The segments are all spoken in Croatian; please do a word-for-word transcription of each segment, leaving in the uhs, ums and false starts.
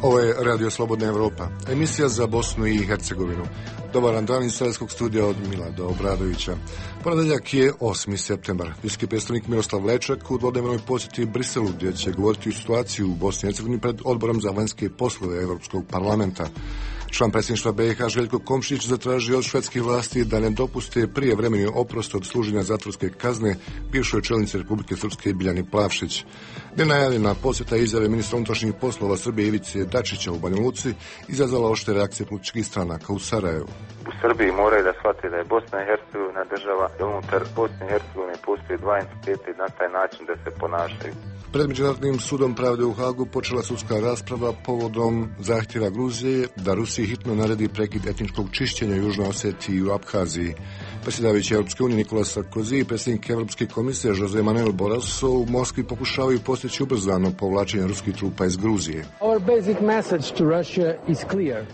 Ovo je Radio Slobodna Evropa, emisija za Bosnu i Hercegovinu. Dobar dan iz Sarajevskog studija od Milada Obradovića. Ponedeljak je osmi septembar. Visoki predstavnik Miroslav Lajčak u dvodnevnoj posjeti Briselu, gdje će govoriti o situaciji u Bosni i Hercegovini pred Odborom za vanjske poslove Evropskog parlamenta. Član predsjedništva B iH Željko Komšić zatražio od švedskih vlasti da ne dopuste prijevremeni oprost od služenja zatvorske kazne bivšoj čelnici Republike Srpske Biljani Plavšić. Nenajavljena posjeta izjave ministra unutrašnjih poslova Srbije Ivice Dačića u Banja Luci izazvala oštre reakcije političkih stranaka u Sarajevu. U Srbiji moraju da shvate da je Bosna i Hercegovina država, da unutar Bosne i Hercegovine postoje dva entiteta i na taj način da se ponašaju. Pred Međunarodnim sudom pravde u Hagu počela sudska rasprava povodom zahtjeva Gruzije da Rusiji hitno naredi prekid etničkog čišćenja u Južnoj Osetiji i u Abhaziji. Predsjedavajući Europske unije Nikola Sarkozy i predsjednik Europske komisije José Manuel Barroso u Moskvi pokušavaju postići ubrzano povlačenje ruskih trupa iz Gruzije.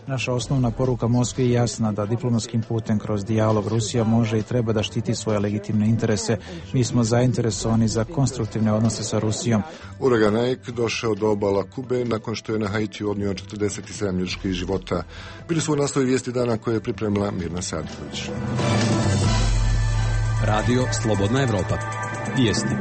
Naša osnovna poruka Moskvi je jasna, da diplomatskim putem kroz dijalog Rusija može i treba da štiti svoje legitimne interese. Mi smo zainteresovani za konstruktivne odnose sa Rusijom. Uragan Ike došao do obala Kube nakon što je na Haitiju odnio četrdeset sedam ljudskih života. Bili su u nastavi vijesti dana koje je pripremila Mirna Sadković. Radio Slobodna Evropa. Vijesti.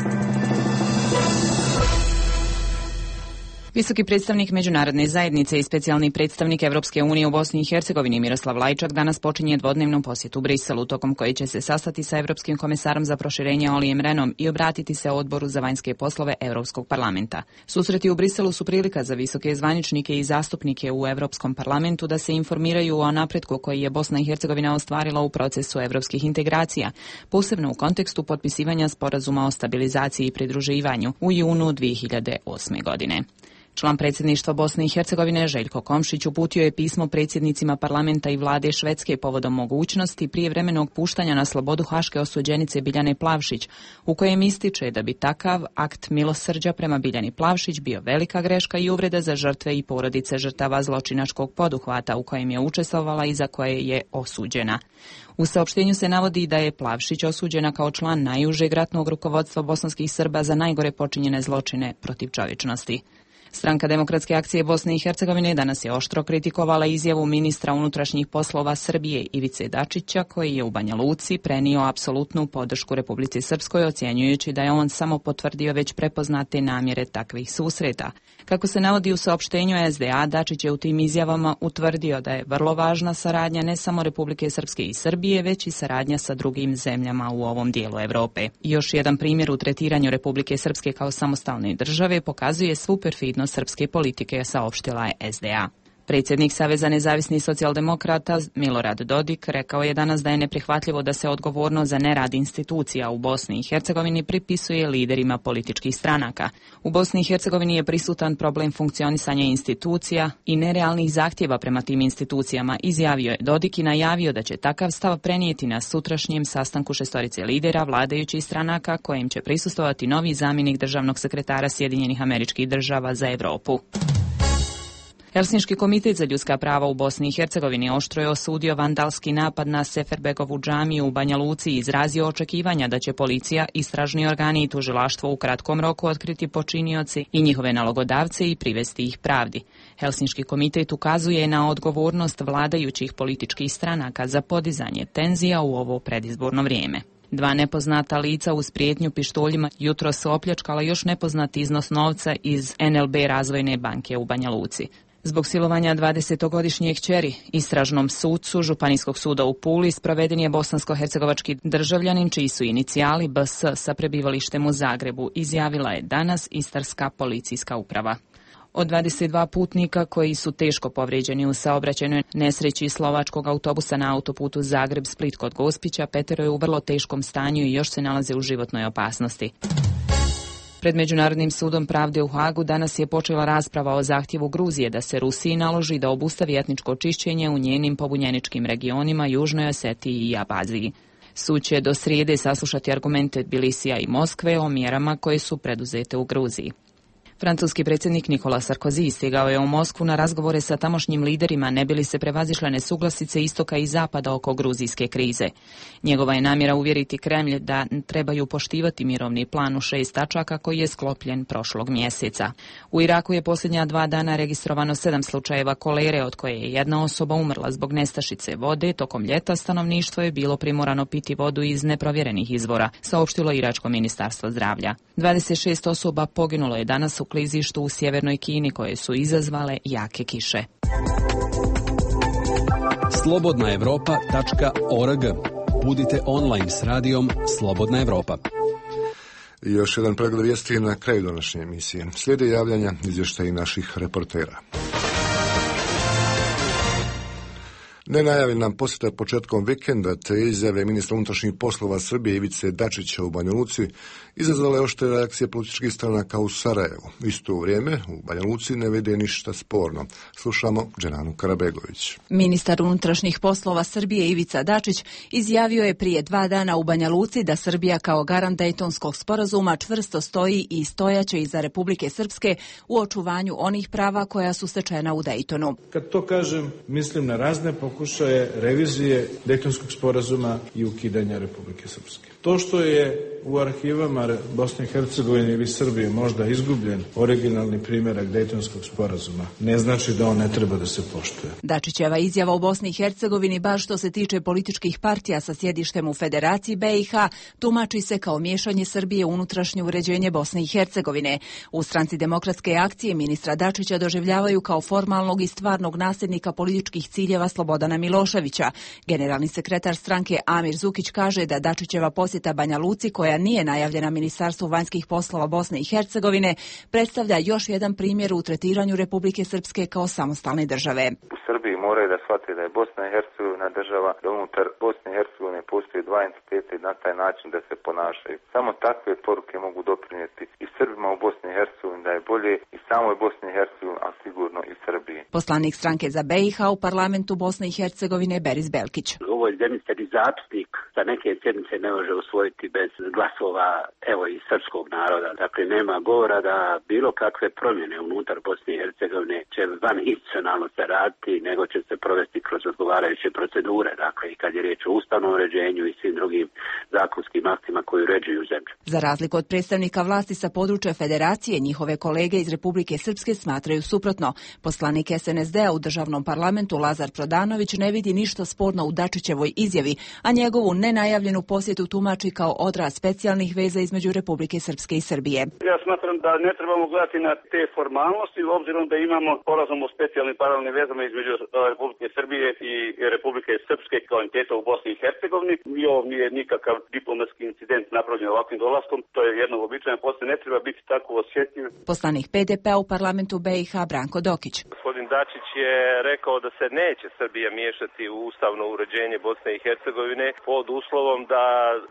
Visoki predstavnik međunarodne zajednice i specijalni predstavnik Evropske unije u Bosni i Hercegovini Miroslav Lajčak danas počinje dvodnevnu posjetu Briselu, tokom koje će se sastati sa Evropskim komesarom za proširenje Olijem Rehnom i obratiti se Odboru za vanjske poslove Evropskog parlamenta. Susreti u Briselu su prilika za visoke zvaničnike i zastupnike u Evropskom parlamentu da se informiraju o napretku koji je Bosna i Hercegovina ostvarila u procesu evropskih integracija, posebno u kontekstu potpisivanja sporazuma o stabilizaciji i pridruživanju u junu dvije hiljade osme. godine. Član predsjedništva Bosne i Hercegovine Željko Komšić uputio je pismo predsjednicima parlamenta i vlade Švedske povodom mogućnosti prijevremenog puštanja na slobodu haške osuđenice Biljane Plavšić, u kojem ističe da bi takav akt milosrđa prema Biljani Plavšić bio velika greška i uvreda za žrtve i porodice žrtava zločinačkog poduhvata u kojem je učestvovala i za koje je osuđena. U saopštenju se navodi da je Plavšić osuđena kao član najužeg ratnog rukovodstva bosanskih Srba za najgore počinjene zločine protiv čovječnosti. Stranka Demokratske akcije Bosne i Hercegovine danas je oštro kritikovala izjavu ministra unutrašnjih poslova Srbije Ivice Dačića, koji je u Banja Luci prenio apsolutnu podršku Republici Srpskoj, ocjenjujući da je on samo potvrdio već prepoznate namjere takvih susreta. Kako se navodi u saopštenju S D A, Dačić je u tim izjavama utvrdio da je vrlo važna saradnja ne samo Republike Srpske i Srbije, već i saradnja sa drugim zemljama u ovom dijelu Evrope. Još jedan primjer u tretiranju Republike Srpske kao samostalne države pokazuje svu perfidnost srpske politike, saopštila je S D A. Predsjednik Saveza nezavisnih socijaldemokrata Milorad Dodik rekao je danas da je neprihvatljivo da se odgovornost za nerad institucija u Bosni i Hercegovini pripisuje liderima političkih stranaka. U Bosni i Hercegovini je prisutan problem funkcionisanja institucija i nerealnih zahtjeva prema tim institucijama, izjavio je Dodik i najavio da će takav stav prenijeti na sutrašnjem sastanku šestorice lidera vladajućih stranaka, kojem će prisustvovati novi zamjenik državnog sekretara Sjedinjenih Američkih Država za Europu. Helsinški komitet za ljudska prava u Bosni i Hercegovini oštro je osudio vandalski napad na Seferbegovu džamiju u Banja Luci i izrazio očekivanja da će policija, istražni organi i tužilaštvo u kratkom roku otkriti počinioci i njihove nalogodavce i privesti ih pravdi. Helsinški komitet ukazuje na odgovornost vladajućih političkih stranaka za podizanje tenzija u ovo predizborno vrijeme. Dva nepoznata lica uz prijetnju pištoljima jutro su opljačkala još nepoznati iznos novca iz N L B Razvojne banke u Banja Luci. Zbog silovanja dvadesetogodišnje kćeri istražnom sucu Županijskog suda u Puli sproveden je bosansko-hercegovački državljanin čiji su inicijali B S sa prebivalištem u Zagrebu, izjavila je danas Istarska policijska uprava. Od dvadeset dva putnika koji su teško povrijeđeni u saobraćajnoj nesreći slovačkog autobusa na autoputu Zagreb-Split kod Gospića, petero je u vrlo teškom stanju i još se nalaze u životnoj opasnosti. Pred Međunarodnim sudom pravde u Hagu danas je počela rasprava o zahtjevu Gruzije da se Rusiji naloži da obustavi etničko čišćenje u njenim pobunjeničkim regionima Južnoj Osetiji i Abhaziji. Sud će do srijede saslušati argumente Tbilisija i Moskve o mjerama koje su preduzete u Gruziji. Francuski predsjednik Nicolas Sarkozy stigao je u Moskvu na razgovore sa tamošnjim liderima ne bi li se prevazišle nesuglasice istoka i zapada oko gruzijske krize. Njegova je namjera uvjeriti Kremlj da trebaju poštivati mirovni plan u šest tačaka koji je sklopljen prošlog mjeseca. U Iraku je posljednja dva dana registrovano sedam slučajeva kolere, od koje je jedna osoba umrla zbog nestašice vode. Tokom ljeta stanovništvo je bilo primorano piti vodu iz neprovjerenih izvora, saopštilo iračko ministarstvo zdravlja. dvadeset šest osoba poginulo je danas u klizištu u sjevernoj Kini koje su izazvale jake kiše. slobodna europa tačka org. Budite online s radijom Slobodna Evropa. I još jedan pregled vijesti na kraju današnje emisije. Slijede javljanja izvještaji naših reportera. Nenajavljena posjeta početkom vikenda te izjave ministra unutrašnjih poslova Srbije Ivice Dačića u Banja Luci izazvale oštre reakcije političkih stranaka u Sarajevu. U isto vrijeme u Banja Luci ne vide ništa sporno. Slušamo Dženanu Karabegović. Ministar unutrašnjih poslova Srbije Ivica Dačić izjavio je prije dva dana u Banja Luci da Srbija kao garant Dejtonskog sporazuma čvrsto stoji i stojaće iza Republike Srpske u očuvanju onih prava koja su stečena u Dejtonu. Kad to kažem, mislim na razne pokušaje revizije Dejtonskog sporazuma i ukidanja Republike Srpske. To što je u arhivama Bosne i Hercegovine ili Srbije možda izgubljen originalni primjerak Dejtonskog sporazuma, ne znači da on ne treba da se poštuje. Dačićeva izjava u Bosni i Hercegovini, baš što se tiče političkih partija sa sjedištem u Federaciji B i H, tumači se kao miješanje Srbije u unutrašnje uređenje Bosne i Hercegovine. U Stranci demokratske akcije ministra Dačića doživljavaju kao formalnog i stvarnog nasljednika političkih ciljeva Slobodana Miloševića. Generalni sekretar stranke Amir Zukić kaže da Dačićeva posjeta Banja Luci, koja nije najavljena Ministarstvu vanjskih poslova Bosne i Hercegovine, predstavlja još jedan primjer u tretiranju Republike Srpske kao samostalne države. U Srbiji moraju da shvate da je Bosna i Hercegovina država, da unutar Bosne i Hercegovine postoji dva entiteta i na taj način da se ponašaju. Samo takve poruke mogu doprinijeti i Srbima u Bosni i Hercegovini da je bolje i samoj Bosni i Hercegovini, a sigurno i Srbiji. Poslanik stranke za B i H u parlamentu Bosne i Hercegovine Beris Belkić. U ovoj zemlji se ni zastupnik za neke sjednice ne može usvojiti bez glasova, evo, i srpskog naroda. Dakle, nema govora da bilo kakve promjene unutar Bosne i Hercegovine će van institucionalno se raditi, nego će se provesti kroz odgovarajuće procedure. Dakle, i kad je riječ o ustavnom uređenju i svim drugim zakonskim aktima koji uređuju zemlju. Za razliku od predstavnika vlasti sa područja Federacije, njihove kolege iz Republike Srpske smatraju suprotno. Poslanik S N S D-a u državnom parlamentu Lazar Prodanović ne vidi ništa sporno u Dačićevoj izjavi, a njegovu nenajavljenu posjetu tumači kao odraz specijalnih veza između Republike Srpske i Srbije. Ja smatram da ne trebamo gledati na te formalnosti, obzirom da imamo sporazum o specijalnim paralelnim vezama između Republike Srbije i Republike Srpske kao entiteta u Bosni i Hercegovini. I ovo nije nikakav diplomatski incident napravljen ovakvim dolaskom, to je jedno običajno, posle ne treba biti tako osjetljiv. Poslanik P D P-a u parlamentu B i H Branko Dokić. Gospodin Dačić je rekao da se neće Srbija miješati u ustavno uređenje Bosne i Hercegovine pod uslovom da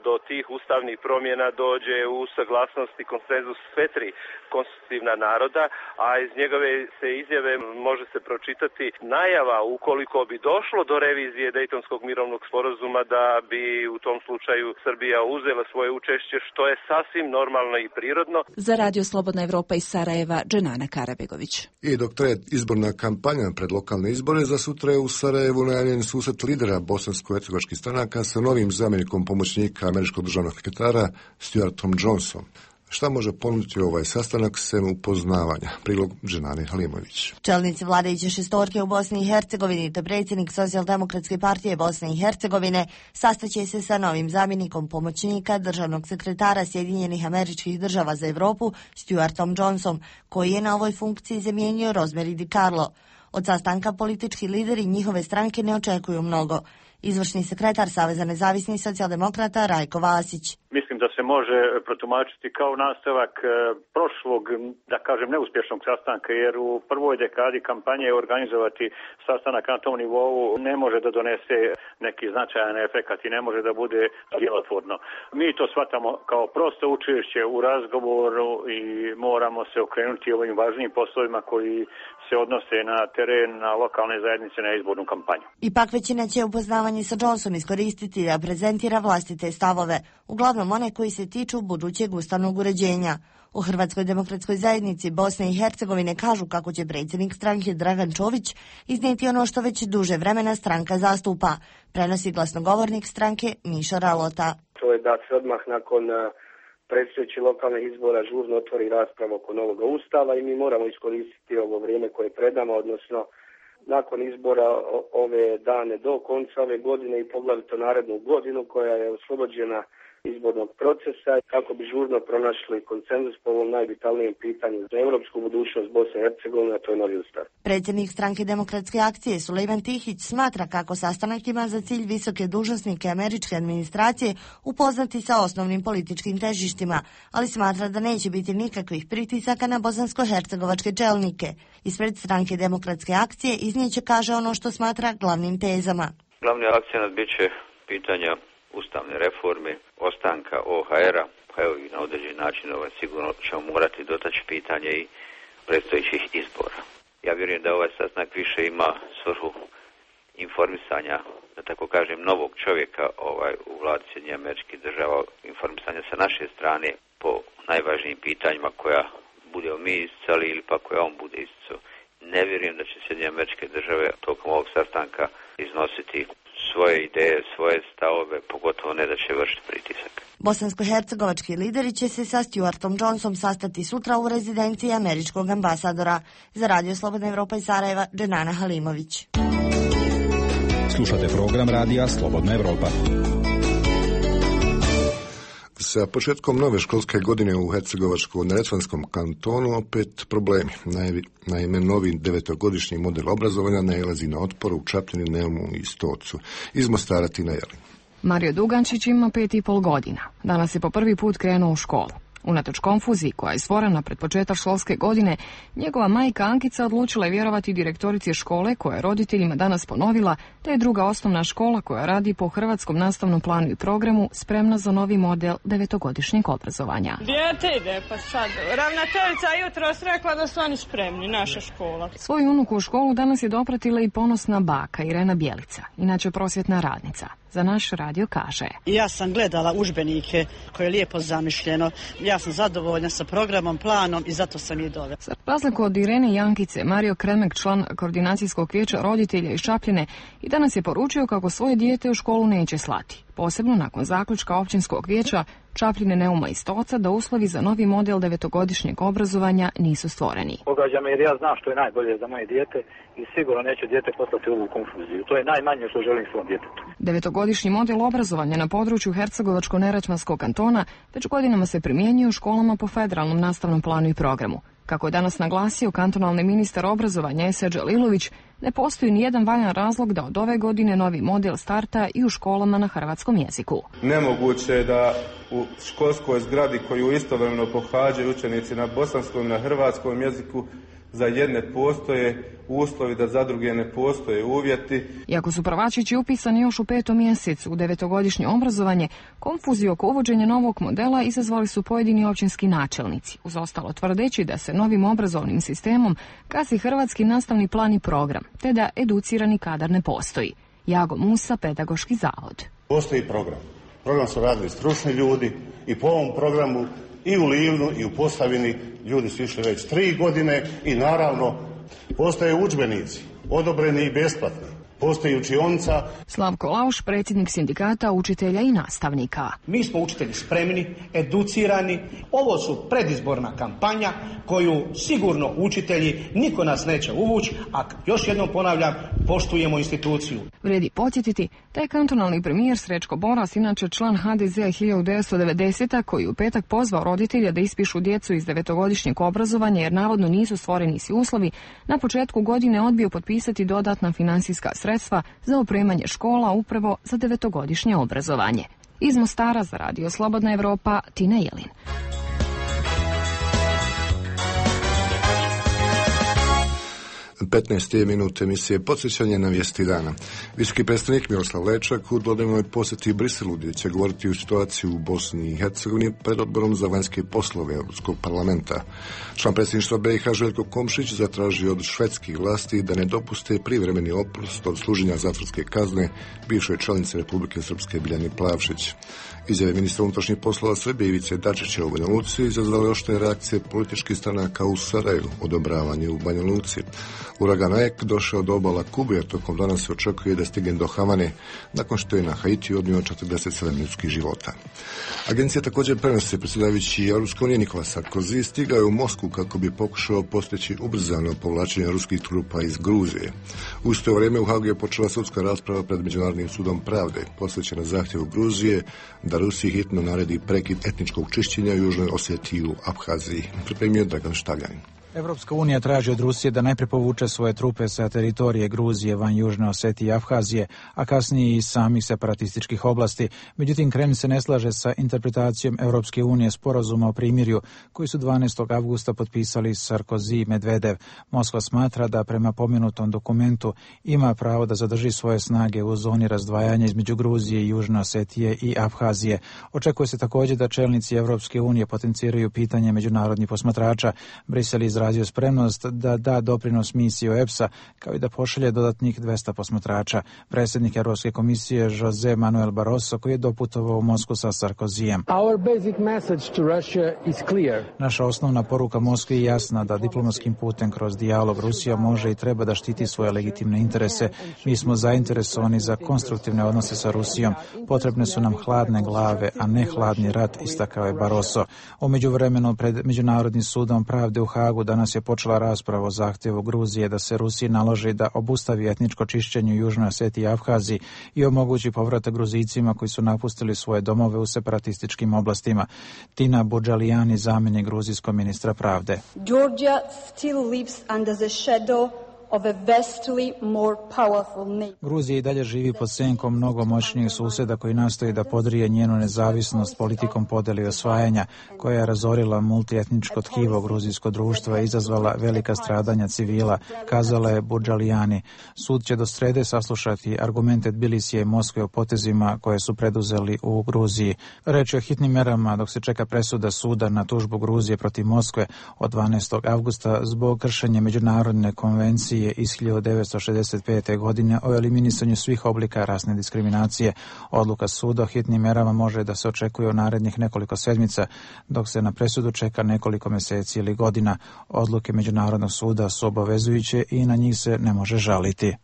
do tih ustavnih promjena dođe u saglasnost i konsenzus sve tri konstitutivna naroda, a iz njegove se izjave može se pročitati najava ukoliko bi došlo do revizije Dejtonskog mirovnog sporazuma da bi u tom slučaju Srbija uzela svoje učešće, što je sasvim normalno i prirodno. Za Radio Slobodna Evropa iz Sarajeva, Dženana Karabegović. I dok traje izborna kampanja pred lokalne izbore, za sutra je u Sarajevu najavljen susret lidera bosansko-hercegovačkih stranaka sa novim zamjenikom pomoćnika američkog državnog sekretara Stuartom Johnsonom. Šta može ponuditi ovaj sastanak sem upoznavanja? Prilog Dženane Halimović. Čelnici vladajuće šestorke u Bosni i Hercegovini te predsjednik Socijaldemokratske partije Bosne i Hercegovine sastaće se sa novim zamjenikom pomoćnika državnog sekretara Sjedinjenih Američkih Država za Europu Stuartom Johnsonom, koji je na ovoj funkciji zamijenio Rosemary DiCarlo. Od sastanka politički lideri njihove stranke ne očekuju mnogo. Izvršni sekretar Saveza nezavisnih socijaldemokrata Rajko Vasić. Mislim da se može protumačiti kao nastavak prošlog, da kažem, neuspješnog sastanka, jer u prvoj dekadi kampanje organizovati sastanak na tom nivou ne može da donese neki značajan efekat i ne može da bude djelotvorno. Mi to shvatamo kao prosto učešće u razgovoru i moramo se okrenuti ovim važnijim poslovima koji se odnose na teren, na lokalne zajednice, na izbornu kampanju. Ipak većina će upoznavanje sa Johnsonom iskoristiti da prezentira vlastite stavove, uglavnom one koji se tiču budućeg ustavnog uređenja. U Hrvatskoj demokratskoj zajednici Bosne i Hercegovine kažu kako će predsjednik stranke Dragan Čović iznijeti ono što već duže vremena stranka zastupa. Prenosi glasnogovornik stranke Miša Ralota. To je da se odmah nakon predstojećih lokalnih izbora žurno otvori rasprava oko novog ustava i mi moramo iskoristiti ovo vrijeme koje je pred nama, odnosno nakon izbora ove dane do konca ove godine i poglavito narednu godinu koja je oslobođena izbornog procesa, kako bi žurno pronašli konsenzus po ovom najvitalnijem pitanju za europsku budućnost Bosne i Hercegovine, a to je novi ustav. Predsjednik stranke Demokratske akcije Sulejman Tihić smatra kako sastanak ima za cilj visoke dužnosnike američke administracije upoznati sa osnovnim političkim težištima, ali smatra da neće biti nikakvih pritisaka na bosansko-hercegovačke čelnike. Ispred stranke Demokratske akcije iznijeće kaže ono što smatra glavnim tezama. Glavni akcenat bit će pitanja ustavne reforme, ostanka O H R-a, pa evo i na određen način ovaj, sigurno ćemo morati dotaći pitanje i predstojećih izbora. Ja vjerujem da ovaj sastanak više ima svrhu informisanja, da tako kažem, novog čovjeka ovaj, u vladi Sjedinjenih Američkih Država, informisanja sa naše strane po najvažnijim pitanjima koja budemo mi isticali ili pa koja on bude isticao. Ne vjerujem da će Sjedinjene Američke Države tokom ovog sastanka iznositi svoje ideje, svoje stavove, pogotovo ne da će vršiti pritisak. Bosansko-hercegovački lideri će se sa Stuartom Johnsonom sastati sutra u rezidenciji američkog ambasadora. Za Radio Slobodna Evropa iz Sarajeva, Dženana Halimović. Slušate program Radija Slobodna Evropa. Sa početkom nove školske godine u Hercegovačko-neretvanskom kantonu opet problemi. Naime, novi devetogodišnji model obrazovanja nailazi na otpor u Čapljini, Neumu i Stocu. Iz Mostara Tina Jelin. Mario Dugančić ima pet i pol godina. Danas je po prvi put krenuo u školu. Unatoč konfuziji koja je stvorena pred početak školske godine, njegova majka Ankica odlučila je vjerovati direktorici škole koja je roditeljima danas ponovila da je druga osnovna škola koja radi po hrvatskom nastavnom planu i programu spremna za novi model devetogodišnjeg obrazovanja. Dijete ide pa sad. Ravnateljica jutros rekla da su oni spremni, naša škola. Svoju unuku u školu danas je dopratila i ponosna baka Irena Bjelica, inače prosvjetna radnica. Za naš radio kaže: Ja sam gledala udžbenike koje je lijepo zamišljeno. Ja sam zadovoljna sa programom, planom i zato sam i dovela. Za razliku od Irene i Ankice, Mario Kremek, član koordinacijskog vijeća roditelja iz Čapljine, i danas je poručio kako svoje dijete u školu neće slati. Posebno nakon zaključka općinskog vijeća Čapljine, Neuma i Stoca da uslovi za novi model devetogodišnjeg obrazovanja nisu stvoreni. Pogađa me jer ja znam što je najbolje za moje dijete i sigurno neće dijete poslati ovu konfuziju. To je najmanje što želim svom djetetu. Devetogodišnji model obrazovanja na području Hercegovačko-neretvanskog kantona već godinama se primjenjuje u školama po federalnom nastavnom planu i programu. Kako je danas naglasio kantonalni ministar obrazovanja Esedža Lilović, ne postoji ni jedan valjan razlog da od ove godine novi model starta i u školama na hrvatskom jeziku. Nemoguće je da u školskoj zgradi koju istovremeno pohađaju učenici na bosanskom i na hrvatskom jeziku za jedne postoje uslovi, da za druge ne postoje uvjeti. Iako su prvačići upisani još u petom mjesecu u devetogodišnje obrazovanje, konfuziju oko uvođenja novog modela izazvali su pojedini općinski načelnici, uz ostalo tvrdeći da se novim obrazovnim sistemom gazi hrvatski nastavni plan i program, te da educirani kadar ne postoji. Jago Musa, Pedagoški zavod. Postoji program. Program su radili stručni ljudi i po ovom programu i u Livnu i u Posavini ljudi su išli već tri godine i naravno postoje udžbenici, odobreni i besplatni. Postoji učionica. Slavko Lauš, predsjednik sindikata učitelja i nastavnika. Mi smo učitelji spremni, educirani. Ovo su predizborna kampanja koju sigurno učitelji niko nas neće uvući, a još jednom ponavljam, poštujemo instituciju. Vrijedi podsjetiti da je kantonalni premijer Srećko Boras, inače član ha de zea hiljadu devetsto devedesete. koji u petak pozvao roditelja da ispišu djecu iz devetogodišnjeg obrazovanja jer navodno nisu stvoreni svi uslovi, na početku godine odbio potpisati dodatna financijska sredstva za opremanje škola upravo za devetogodišnje obrazovanje. Iz Mostara za Radio Slobodna Evropa, Tina Jelin. petnaeste minute emisije Podsjećanje na vijesti dana. Visoki predstavnik Miroslav Lečak u dvodnevnoj posjeti Briselu, gdje će govoriti o situaciji u Bosni i Hercegovini pred odborom za vanjske poslove Europskog parlamenta. Član predsjedništva B i H Željko Komšić zatražio od švedskih vlasti da ne dopuste privremeni oprost od služenja zatvorske kazne bivšoj članice Republike Srpske Biljani Plavšić. Izjave ministra unutrašnjih poslova Srbije Ivice Dačića u Banja Luci izazvale oštre reakcije političkih stranaka u Sarajevu, odobravanje u Banja Luci. Uragan Ek došao do obala Kube, a tokom dana se očekuje da stigne do Havane, nakon što je na Haitiju odnio četrdeset sedam ljudskih života. Agencija također prenosi predsjedavajući Europske unije Nikola Sarkozy stigao je u Moskvu kako bi pokušao postići ubrzano povlačenje ruskih trupa iz Gruzije. U isto vrijeme u Hagu je počela sudska rasprava pred Međunarodnim sudom pravde, posvećena zahtjevu Gruzije da Rusiji hitno naredi prekid etničkog čišćenja u Južnoj Osjetiji u Abhaziji. Pripremio Dragan Štaljanin. Evropska unija traži od Rusije da najprije povuče svoje trupe sa teritorije Gruzije van Južne Osetije i Abhazije, a kasnije i samih separatističkih oblasti. Međutim, Kremlj se ne slaže sa interpretacijom Evropske unije sporazuma o primirju koji su dvanaestog avgusta potpisali Sarkozy i Medvedev. Moskva smatra da prema pomenutom dokumentu ima pravo da zadrži svoje snage u zoni razdvajanja između Gruzije i Južne Osetije i Abhazije. Očekuje se također da čelnici Evropske unije potenciraju pitanje međunarodnih posmatrača. Brisel izrazio spremnost da da doprinos misiji O E P S-a, kao i da pošalje dodatnih dvesta posmatrača. Predsjednik Europske komisije Jose Manuel Barroso, koji je doputovao u Moskvu sa Sarkozijem. Naša osnovna poruka Moskvi je jasna da diplomatskim putem kroz dijalog Rusija može i treba da štiti svoje legitimne interese. Mi smo zainteresovani za konstruktivne odnose sa Rusijom. Potrebne su nam hladne glave, a ne hladni rat, istakao je Barroso. U međuvremenu pred Međunarodnim sudom pravde u Hagu danas je počela rasprava o zahtjevu Gruzije da se Rusiji naloži da obustavi etničko čišćenje u Južnoj Osetiji i Abhaziji i omogući povratak Gruzijcima koji su napustili svoje domove u separatističkim oblastima. Tina Budžalijani, zamjenik gruzijskog ministra pravde. Georgia still lives under the shadow of a vastly more powerful nation. Gruzija i dalje živi pod senkom mnogo moćnijih susjeda koji nastoji da podrije njenu nezavisnost politikom podjele i osvajanja, koja je razorila multietničko tkivo gruzijsko društva i izazvala velika stradanja civila, kazala je Budžalijani. Sud će do srede saslušati argumente Tbilisija i Moskve o potezima koje su preduzeli u Gruziji. Reč je o hitnim merama dok se čeka presuda suda na tužbu Gruzije protiv Moskve od dvanaestog avgusta zbog kršenja međunarodne konvencije iz hiljadu devetsto šezdeset pete. godine o eliminisanju svih oblika rasne diskriminacije. Odluka suda o hitnim merama može da se očekuje u narednih nekoliko sedmica, dok se na presudu čeka nekoliko mjeseci ili godina. Odluke Međunarodnog suda su obavezujuće i na njih se ne može žaliti.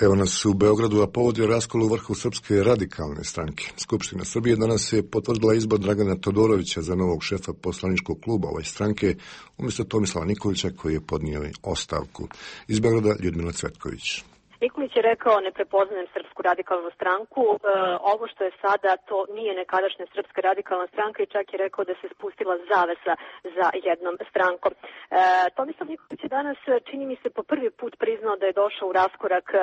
Evo nas u Beogradu, a povod je raskol u vrhu Srpske radikalne stranke. Skupština Srbije danas je potvrdila izbor Dragana Todorovića za novog šefa poslaničkog kluba ove stranke, umjesto Tomislava Nikolića koji je podnio ostavku. Iz Beograda Ljudmila Cvetković. Nikolić je rekao ne prepoznajem Srpsku radikalnu stranku, e, ovo što je sada to nije nekadašnja Srpska radikalna stranka i čak je rekao da se spustila zavesa za jednom strankom. E, Tomislav Nikolić je danas, čini mi se, po prvi put priznao da je došao u raskorak e,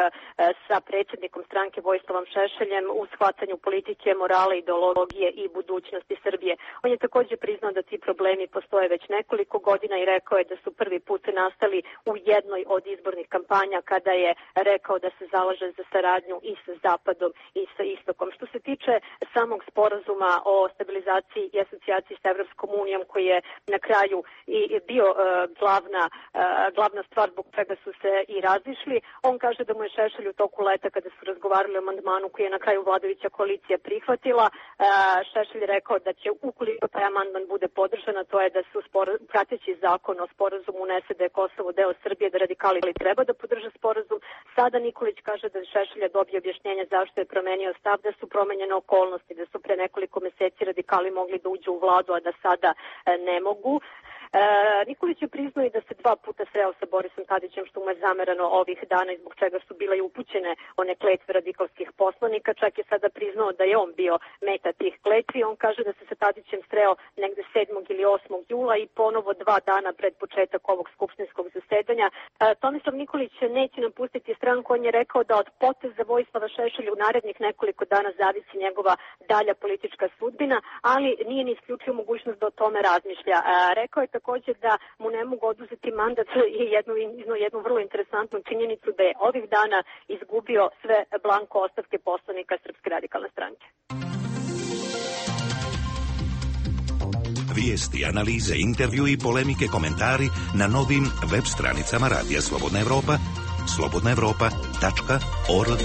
sa predsjednikom stranke Vojislavom Šešeljem u shvatanju politike, morale, ideologije i budućnosti Srbije. On je također priznao da ti problemi postoje već nekoliko godina i rekao je da su prvi put nastali u jednoj od izbornih kampanja kada je rekao kao da se zalaže za saradnju i sa Zapadom i sa Istokom. Što se tiče samog sporazuma o stabilizaciji i asocijaciji sa Evropskom unijom, koji je na kraju i bio uh, glavna, uh, glavna stvar zbog čega su se i razišli, on kaže da mu je Šešelj u toku leta, kada su razgovarali o amandmanu koji je na kraju vladajuća koalicija prihvatila, uh, Šešelj rekao da će, ukoliko taj amandman bude podržan, to je da su spor, prateći zakon o sporazumu unese da je Kosovo deo Srbije, da radikali treba da podrže sporazum. Sada Nikolić kaže da Šešelja dobije objašnjenje zašto je promenio stav, da su promenjene okolnosti, da su pre nekoliko mjeseci radikali mogli da uđu u vladu, a da sada ne mogu. E, Nikolić je priznao i da se dva puta sreo sa Borisom Tadićem, što mu je zamerano ovih dana i zbog čega su bile i upućene one kletve radikalskih poslanika. Čak je sada priznao da je on bio meta tih kletvi. On kaže da se sa Tadićem sreo negde sedmog ili osmog jula i ponovo dva dana pred početak ovog skupštinskog zasedanja. E, Tomislav Nikolić neće napustiti stranku. On je rekao da od poteza Vojislava Šešelja u narednih nekoliko dana zavisi njegova dalja politička sudbina, ali nije ni isključio mogućnost da o tome razmišlja. E, rekao je takođe da mu ne mogu oduzeti mandat i jednu, jednu vrlo interesantnu činjenicu da je ovih dana izgubio sve blanko ostavke poslanika Srpske radikalne stranke. Vijesti, analize, intervju i polemike, komentari na novim web stranicama Radija Slobodna Evropa, slobodna evropa tačka org.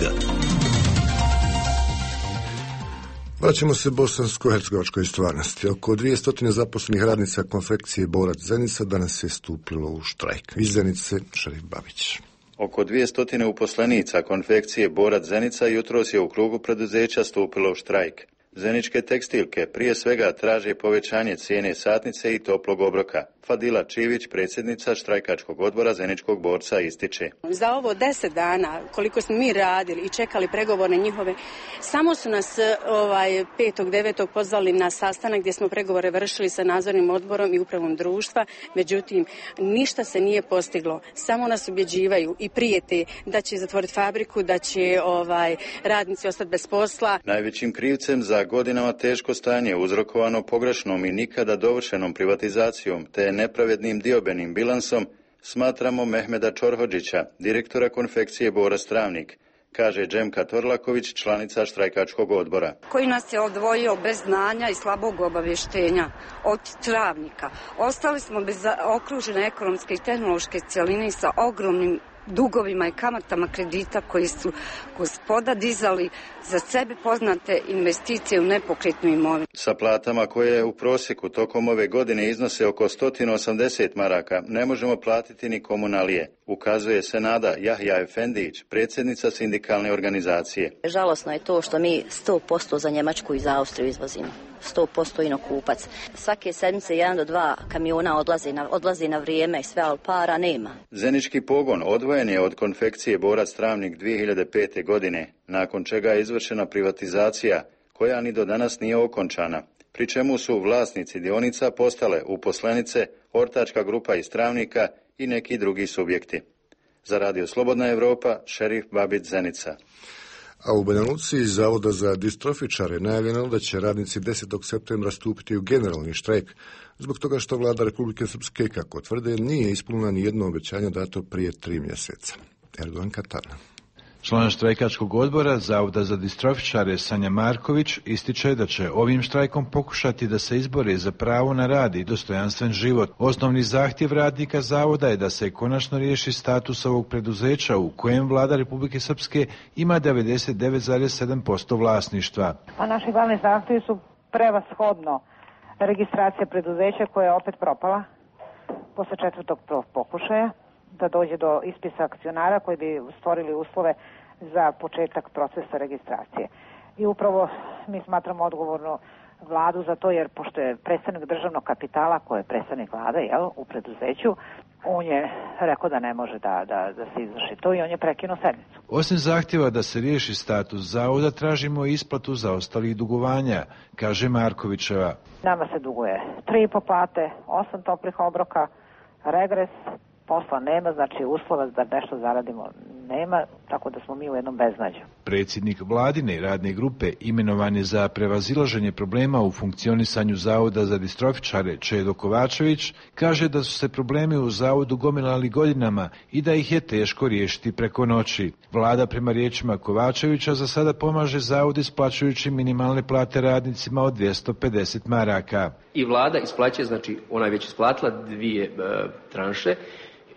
Vraćamo se bosansko-hercegovačkoj stvarnosti. Oko dvjesto zaposlenih radnica konfekcije Borac Zenica danas je stupilo u štrajk. Iz Zenice, Šerif Babić. Oko dvjesto uposlenica konfekcije Borac Zenica jutros je u krugu preduzeća stupilo u štrajk. Zeničke tekstilke prije svega traže povećanje cijene satnice i toplog obroka. Fadila Čivić, predsjednica štrajkačkog odbora Zeničkog borca, ističe. Za ovo deset dana, koliko smo mi radili i čekali pregovore njihove, samo su nas ovaj, petog devetog pozvali na sastanak gdje smo pregovore vršili sa nadzornim odborom i upravom društva, međutim, ništa se nije postiglo. Samo nas ubjeđivaju i prijete da će zatvoriti fabriku, da će ovaj, radnici ostati bez posla. Najvećim krivcem za godinama teško stanje uzrokovano pogrešnom i nikada dovršenom privatizacijom te nepravednim diobenim bilansom smatramo Mehmeda Čorhodžića, direktora konfekcije Borac Travnik, kaže Džemka Torlaković, članica štrajkačkog odbora. Koji nas je odvojio bez znanja i slabog obavještenja od Travnika. Ostali smo bez okružene ekonomske i tehnološke cjeline sa ogromnim dugovima i kamatama kredita koji su gospoda dizali za sebe poznate investicije u nepokretnu imovinu. Sa platama koje u prosjeku tokom ove godine iznose oko sto osamdeset maraka ne možemo platiti ni komunalije, ukazuje Senada Jahja Efendić, predsjednica sindikalne organizacije. Žalosno je to što mi sto posto za Njemačku i za Austriju izvozimo. sto posto inokupac. Svake sedmice jedan do dva kamiona odlazi na, odlazi na vrijeme i sve, ali para nema. Zenički pogon odvojen je od konfekcije Borac Travnik dvije hiljade pete. godine, nakon čega je izvršena privatizacija koja ni do danas nije okončana, pri čemu su vlasnici dionica postale uposlenice, ortačka grupa iz Travnika i neki drugi subjekti. Za Radio Slobodna Evropa, Šerif Babić, Zenica. A u Banja Luci iz Zavoda za distrofičare najavljeno da će radnici desetog septembra stupiti u generalni štrajk zbog toga što vlada Republike Srpske, kako tvrde, nije ispunila ni jedno obećanje dato prije tri mjeseca. Erdogan Katana. Član štrajkačkog odbora Zavoda za distrofičare Sanja Marković ističe da će ovim štrajkom pokušati da se izbore za pravo na rad i dostojanstven život. Osnovni zahtjev radnika Zavoda je da se konačno riješi status ovog preduzeća u kojem vlada Republike Srpske ima devedeset devet zarez sedam posto vlasništva. A naši glavni zahtjevi su prevashodno registracija preduzeća koja je opet propala posle četvrtog pokušaja, da dođe do ispisa akcionara koji bi stvorili uslove za početak procesa registracije. I upravo mi smatramo odgovornu vladu za to, jer pošto je predstavnik državnog kapitala, koji je predstavnik vlade, jel, u preduzeću, on je rekao da ne može da, da, da se izvrši to i on je prekinuo sednicu. Osim zahtjeva da se riješi status zavoda, tražimo isplatu zaostalih dugovanja, kaže Markovićeva. Nama se duguje tri i po plate, osam toplih obroka, regres, posla nema, znači uslova da nešto zaradimo nema, tako da smo mi u jednom beznađu. Predsjednik vladine radne grupe imenovan je za prevazilaženje problema u funkcionisanju Zavoda za distrofičare Čedo Kovačević, kaže da su se problemi u zavodu gomilali godinama i da ih je teško riješiti preko noći. Vlada prema riječima Kovačevića za sada pomaže zavod isplaćujući minimalne plate radnicima od dvjesto pedeset maraka. I vlada isplaćuje, znači ona je već isplatila dvije e, tranše,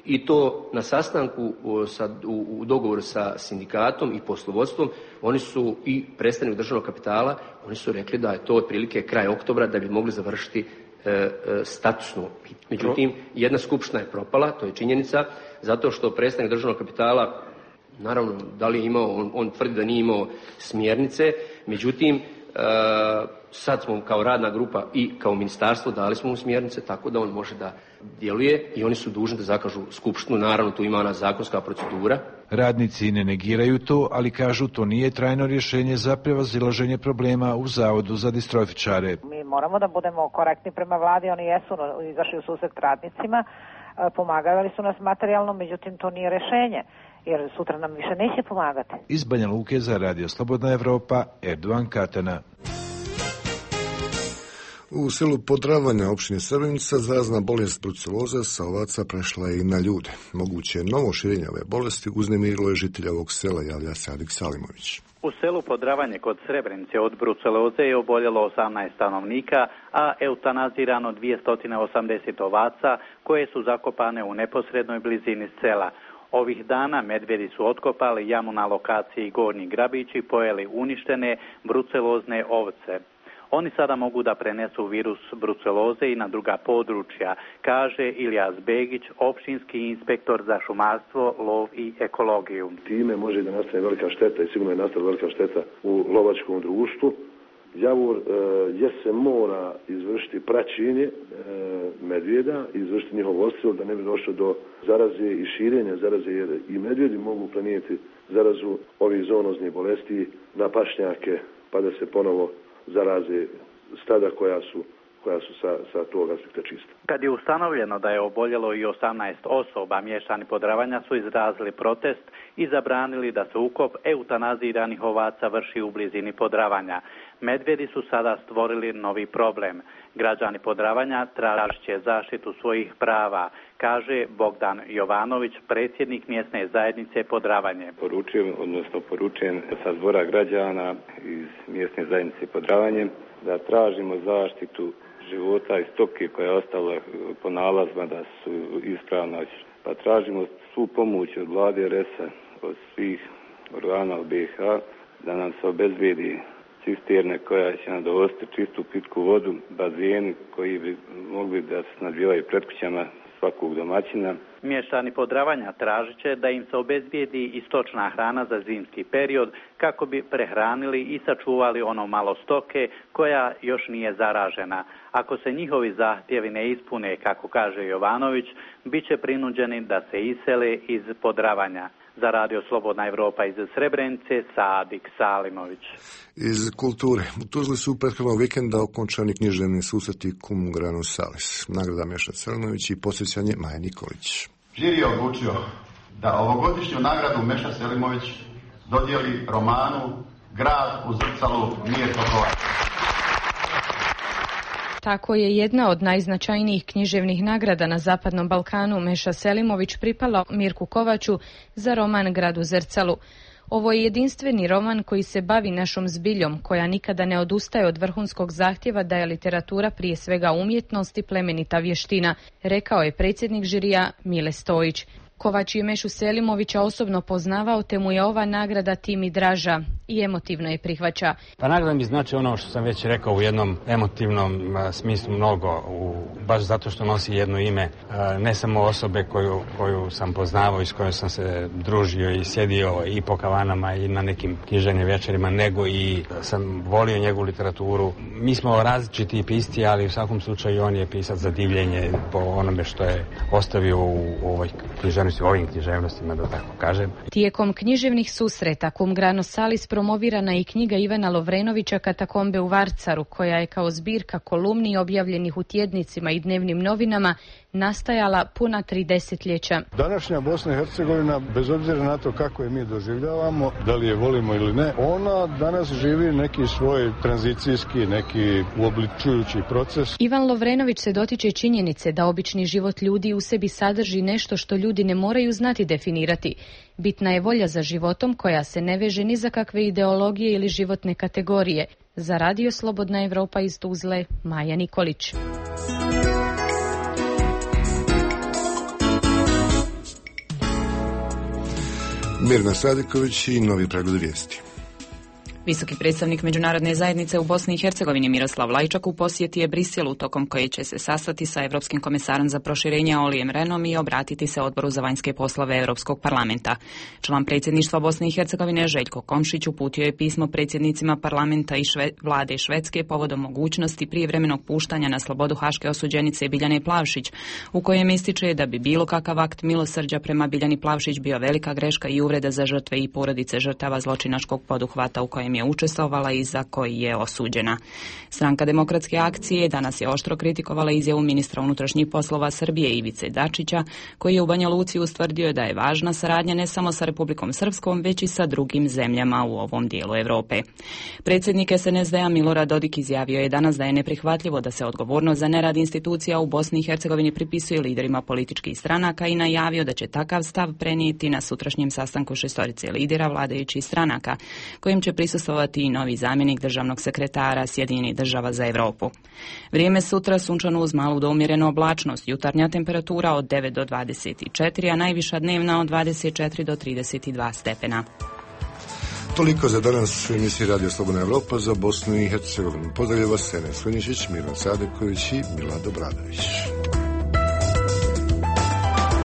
i to na sastanku sa, u, u dogovoru sa sindikatom i poslovodstvom. Oni su i predstavnik državnog kapitala, oni su rekli da je to otprilike kraj oktobra da bi mogli završiti e, e, statusno. Međutim, jedna skupština je propala, to je činjenica, zato što predstavnik državnog kapitala, naravno, da li je imao, on, on tvrdi da nije imao smjernice, međutim, e, sad smo kao radna grupa i kao ministarstvo dali smo mu smjernice tako da on može da djeluje i oni su dužni da zakažu skupštinu, naravno tu ima ona zakonska procedura. Radnici ne negiraju to, ali kažu to nije trajno rješenje za prevazilaženje problema u Zavodu za distrofičare. Mi moramo da budemo korektni prema vladi, oni jesu izašli u susret radnicima, pomagali su nas materijalno, međutim to nije rješenje, jer sutra nam više neće pomagati. Iz Banja Luke za Radio Slobodna Evropa, Erdogan Katana. U selu Podravanja opštine Srebrenica zarazna bolest bruceloza sa ovaca prešla je i na ljude. Moguće novo širenje ove bolesti uznemirilo je žitelja ovog sela, javlja se Adik Salimović. U selu Podravanje kod Srebrenice od bruceloze je oboljelo osamnaest stanovnika, a eutanazirano dvjesto osamdeset ovaca koje su zakopane u neposrednoj blizini sela. Ovih dana medvjedi su otkopali jamu na lokaciji Gornji Grabići i pojeli uništene brucelozne ovce. Oni sada mogu da prenesu virus bruceloze i na druga područja, kaže Ilijas Begić, općinski inspektor za šumarstvo, lov i ekologiju. Time može da nastane velika šteta i sigurno je nastala velika šteta u lovačkom društvu. Javor e, je se mora izvršiti praćenje e, medvjeda, izvršiti njihov odstrel da ne bi došlo do zaraze i širenja zaraze, jer i medvjedi mogu prenijeti zarazu ovih zoonoznih bolesti na pašnjake pa da se ponovo zaraze stada koja su, koja su sa, sa tog aspekta čista. Kad je ustanovljeno da je oboljelo i osamnaest osoba, mještani Podravanja su izrazili protest i zabranili da se ukop eutanaziranih ovaca vrši u blizini Podravanja. Medvjedi su sada stvorili novi problem. Građani Podravanja tražit će zaštitu svojih prava, kaže Bogdan Jovanović, predsjednik mjesne zajednice Podravanje. Poručujem, odnosno poručujem sa zbora građana iz mjesne zajednice Podravanje da tražimo zaštitu života i stoke koja je ostala po nalazima da su ispravna. Pa tražimo svu pomoć od vlade R S A, od svih organa u B i H, da nam se obezbijedi cisterne koja će nam dovesti čistu pitku vodu, bazeni koji bi mogli da se snabdijevaju pred kućama svakog domaćina. Mještani Podravanja tražit će da im se obezbijedi i stočna hrana za zimski period kako bi prehranili i sačuvali ono malo stoke koja još nije zaražena. Ako se njihovi zahtjevi ne ispune, kako kaže Jovanović, bit će prinuđeni da se isele iz Podravanja. Za Radio Slobodna Evropa iz Srebrenice, Sadik Salimović. Iz kulture. U Tuzli su prethodnog vikenda okončani književni susreti Cum Grano Salis. Nagrada Meša Selimović i posjećanje Maja Nikolić. Žiri je odlučio da ovogodišnju nagradu Meša Selimović dodijeli romanu Grad u zrcalu Mirko Kovač. Tako je jedna od najznačajnijih književnih nagrada na Zapadnom Balkanu Meša Selimović pripala Mirku Kovaču za roman Grad u zrcalu. Ovo je jedinstveni roman koji se bavi našom zbiljom, koja nikada ne odustaje od vrhunskog zahtjeva da je literatura prije svega umjetnost i plemenita vještina, rekao je predsjednik žirija Mile Stojić. Kovač je Mešu Selimovića osobno poznavao, te mu je ova nagrada tim i draža i emotivno je prihvaća. Pa nagrada mi znači ono što sam već rekao u jednom emotivnom a, smislu mnogo, u, baš zato što nosi jedno ime, a, ne samo osobe koju, koju sam poznavao i s kojom sam se družio i sjedio i po kavanama i na nekim književnim večerima, nego i sam volio njegovu literaturu. Mi smo različiti pisci, ali u svakom slučaju on je pisac za divljenje po onome što je ostavio u, u ovoj književnosti, u ovim književnostima, da tako kažem. Tijekom književnih susreta Cum Grano Salis promovirana je i knjiga Ivana Lovrenovića Katakombe u Varcaru, koja je kao zbirka kolumni objavljenih u tjednicima i dnevnim novinama nastajala puna tri desetljeća. Današnja Bosna i Hercegovina, bez obzira na to kako je mi doživljavamo, da li je volimo ili ne, ona danas živi neki svoj tranzicijski, neki uobličujući proces. Ivan Lovrenović se dotiče činjenice da obični život ljudi u sebi sadrži nešto što ljudi ne moraju znati definirati. Bitna je volja za životom koja se ne veže ni za kakve ideologije ili životne kategorije. Za Radio Slobodna Evropa iz Tuzle, Maja Nikolić. Mirna Sadiković i novi pregled vijesti. Visoki predstavnik međunarodne zajednice u Bosni i Hercegovini Miroslav Lajčak u posjeti je Briselu, tokom koje će se sastati sa Europskim komesarom za proširenje Olijem Renom i obratiti se Odboru za vanjske poslove Europskog parlamenta. Član predsjedništva Bosne i Hercegovine Željko Komšić uputio je pismo predsjednicima parlamenta i šve, vlade Švedske povodom mogućnosti prijevremenog puštanja na slobodu haške osuđenice Biljane Plavšić, u kojem ističe da bi bilo kakav akt milosrđa prema Biljani Plavšić bio velika greška i uvreda za žrtve i porodice žrtava zločinačkog poduhvata u kojem kojem je učestvovala i za koji je osuđena. Stranka Demokratske akcije danas je oštro kritikovala izjavu ministra unutrašnjih poslova Srbije Ivice Dačića, koji je u Banja Luci ustvrdio da je važna saradnja ne samo sa Republikom Srpskom, već i sa drugim zemljama u ovom dijelu Europe. Predsjednik S N S D-a Milorad Dodik izjavio je danas da je neprihvatljivo da se odgovornost za nerad institucija u Bosni i Hercegovini pripisuje liderima političkih stranaka i najavio da će takav stav prenijeti na sutrašnjem sastanku šestorice lidera vladajućih stranaka, kojim će prisustvovati i novi zamjenik državnog sekretara Sjedinjenih država za Europu. Vrijeme sutra sunčano uz malu do umjerenu oblačnost, jutarnja temperatura od devet do dvadeset četiri, a najviša dnevna od dvadeset četiri do trideset dva stepena. Toliko za danas u emisiji Radio Slobodna Evropa za Bosnu i Hercegovinu. Pozdravlja vas Sene Svenišić, Miran Sadeković i Milad Obradović.